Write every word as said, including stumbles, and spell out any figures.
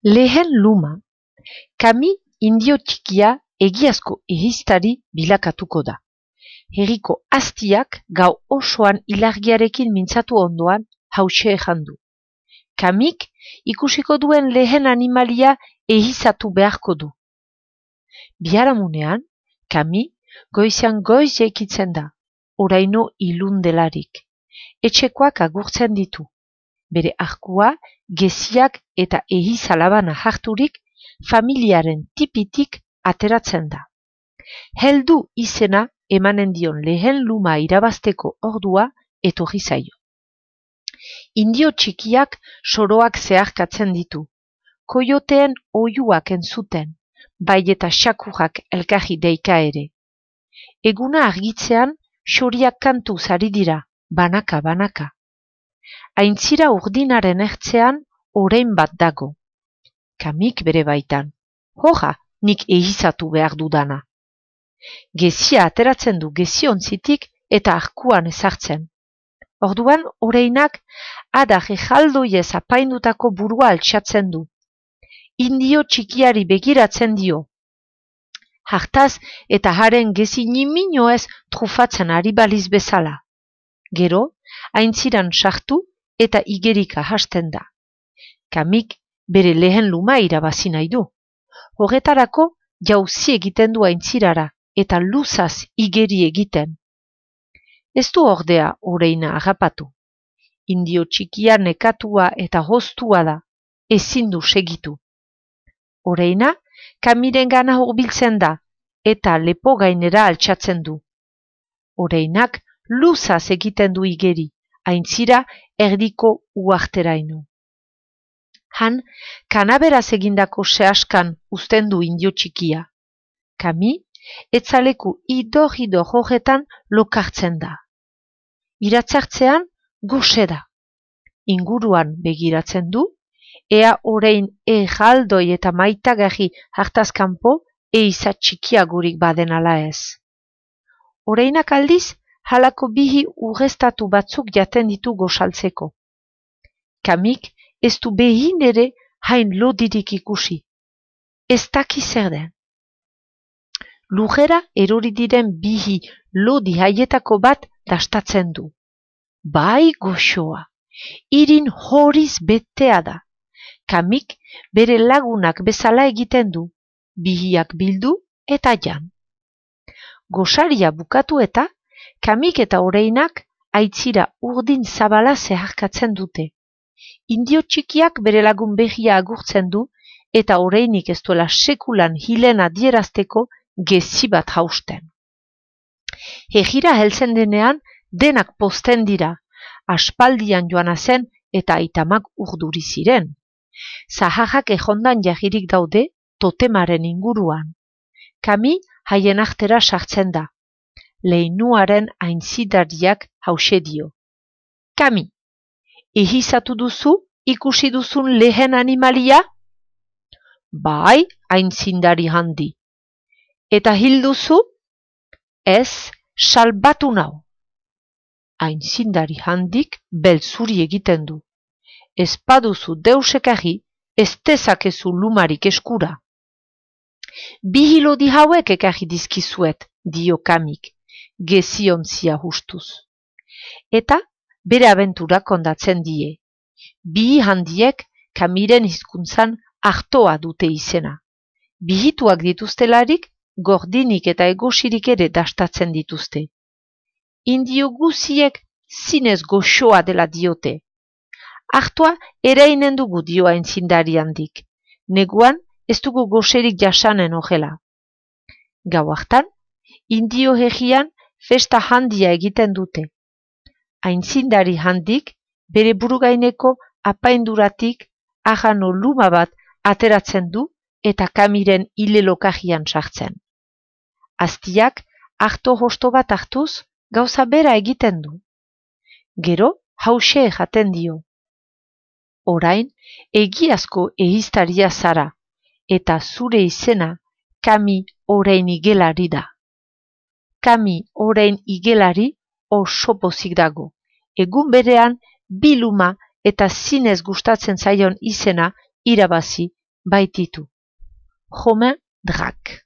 Lehen luma. Kami indio txikia egiazko ehiztari bilakatuko da. Herriko aztiak gau osoan ilargiarekin mintzatu ondoan hause ejandu. Kamik ikusiko duen lehen animalia ehizatu beharko du. Biharamunean, Kami goizean goiz jaikitzen da, oraino ilundelarik. Etxekoak agurtzen ditu. Bere arkua, geziak eta ehizalabana harturik, familiaren tipitik ateratzen da. Heldu izena emanen dion lehen luma irabazteko ordua etorri zaio. Indio txikiak soroak zeharkatzen ditu. Koioteen oiuak entzuten, bai eta xakurrak elkarri deika ere. Eguna argitzean, xoriak kantu zari dira, banaka-banaka. Aintzira urdinaren ertzean, orain bat dago. Kamik bere baitan. Hoja, nik ehizatu behar dudana. Gezia ateratzen du geziontzitik eta arkuan ezartzen. Orduan, oreinak adar ejaldoiez apaindutako burua altxatzen du. Indio txikiari begiratzen dio. Hartaz eta haren gezi niminoez trufatzen ari baliz bezala. Gero, aintziran sartu eta igerika hasten da. Kamik bere lehen luma irabazi nahi du. Horretarako jauzi egiten du aintzirara eta luzaz igeri egiten. Ez du ordea oreina agapatu. Indio txikia nekatua eta hoztua da, ezin du segitu. Oreina, Kamiren gana hurbiltzen da eta lepo gainera altxatzen du. Oreinak luzaz egiten du igeri, aintzira erdiko uarteraino. Han, kanaberaz egindako sehaskan uzten du indio txikia. Kami, etzaleku idor-idor horretan lokartzen da. Iratzartzean, goxe da. Inguruan begiratzen du, ea orain ejaldoi eta maitagarri hartazkanpo eizat txikiagurik baden ala ez. Oreinak aldiz, halako bihi urreztatu batzuk jaten ditu gosaltzeko. Kamik ez du behin ere hain lodirik ikusi. Ez daki zer den. Lujera erori diren bihi lodi haietako bat dastatzen du. Bai goxoa, irin horiz betea da. Kamik bere lagunak bezala egiten du, bihiak bildu eta jan. Gosaria bukatu eta, Kamik eta oreinak aitzira urdin zabala zeharkatzen dute. Indio txikiak bere lagun behia agurtzen du eta oreinik ez duela sekulan hilen adierazteko gezi bat hausten. Herrira heltzen denean denak posten dira, aspaldian joana zen eta aitamak urduri ziren. Zaharrak ejondan jahirik daude totemaren inguruan. Kami haien artera sartzen da. Leinuaren aintzidariak hause dio. Kami, ehizatu duzu ikusi duzun lehen animalia? Bai, aintzindari handi. Eta hil duzu? Ez, salbatu nau. Aintzindari handik belzuri egiten du. Ez paduzu deusekarri, ez dezakezu lumarik eskura. Bi hilodi hauek ekarri dizkizuet, dio Kamik, geziontzia hustuz. Eta bere abentura kondatzen die. Bi handiek Kamiren hizkuntzan artoa dute izena. Bihituak dituztelarik, gordinik eta egosirik ere dastatzen dituzte. Indio guziek zinez goxoa dela diote. Artoa ereinen dugu dio aintzindari handik. Neguan ez dugu goserik jasanen ogela. Gau hartan, indio herrian festa handia egiten dute. Aintzindari handik bere burugaineko apainduratik ahano luma bat ateratzen du eta Kamiren hilelokajian sartzen. Aztiak arto hosto bat hartuz gauza bera egiten du. Gero hause jaten dio. Orain egiazko ehiztaria zara eta zure izena Kami orain igelari da. Kami orain igelari oso pozik dago. Egun berean biluma eta zinez gustatzen zaion izena irabazi baititu. Romain Drac.